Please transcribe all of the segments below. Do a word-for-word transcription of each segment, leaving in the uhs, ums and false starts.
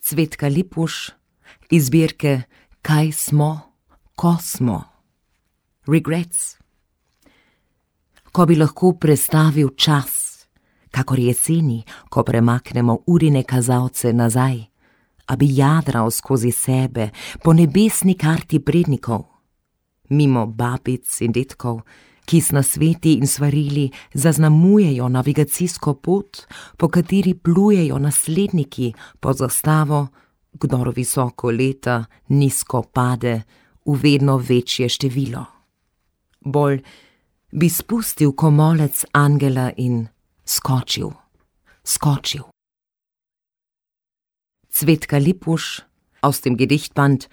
Cvetka Lipuš iz zbirke Kaj smo, ko smo. Regrets. Ko bi lahko prestavil čas, kakor jeseni, ko premaknemo urine kazalce nazaj, a bi jadral skozi sebe po nebesni karti prednikov, mimo babic in detkov, ki s nasveti in svarili zaznamujejo navigacijsko pot, po kateri plujejo nasledniki pod zastavo, kdor visoko leta, nizko pade v vedno večje število. Bolj bi spustil komolec angela in skočil, skočil. Cvetka Lipuš aus dem Gedichtband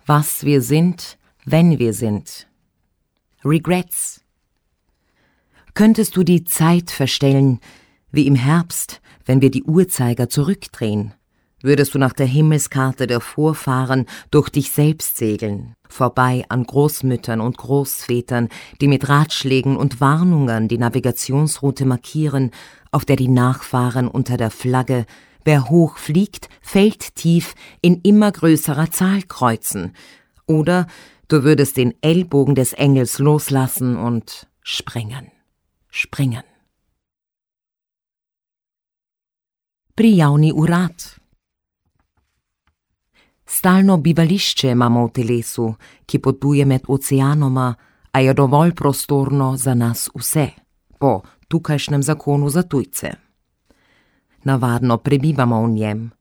Was wir sind, wenn wir sind. Regrets. Könntest du die Zeit verstellen, wie im Herbst, wenn wir die Uhrzeiger zurückdrehen? Würdest du nach der Himmelskarte der Vorfahren durch dich selbst segeln, vorbei an Großmüttern und Großvätern, die mit Ratschlägen und Warnungen die Navigationsroute markieren, auf der die Nachfahren unter der Flagge »Wer hoch fliegt, fällt tief« in immer größerer Zahl kreuzen? Oder du würdest den Ellbogen des Engels loslassen und springen, springen. Prijavni urad. Stalno bivališče imamo v telesu, ki potuje med oceanoma, a je dovolj prostorno za nas vse, po tukajšnjem zakonu za tujce. Navadno prebivamo v njem,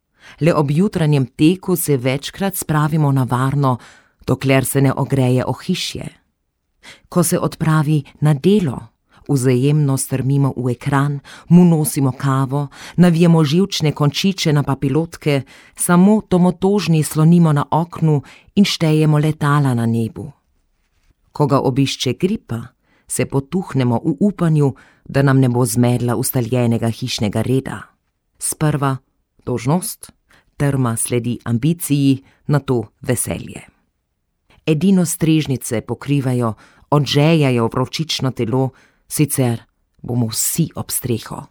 le ob jutranjem teku se večkrat spravimo na varno, dokler se ne ogreje ohišje. Ko se odpravi na delo, vzajemno strmimo v ekran, mu nosimo kavo, navijemo živčne končiče na papilotke, samo domotožni slonimo na oknu in štejemo letala na nebu. Ko ga obišče gripa, se potuhnemo v upanju, da nam ne bo zmedla ustaljenega hišnega reda. Sprva dolžnost, trma sledi ambiciji, nato veselje. Edino strežnice pokrivajo, odžejajo vročično telo, sicer bomo vsi ob streho.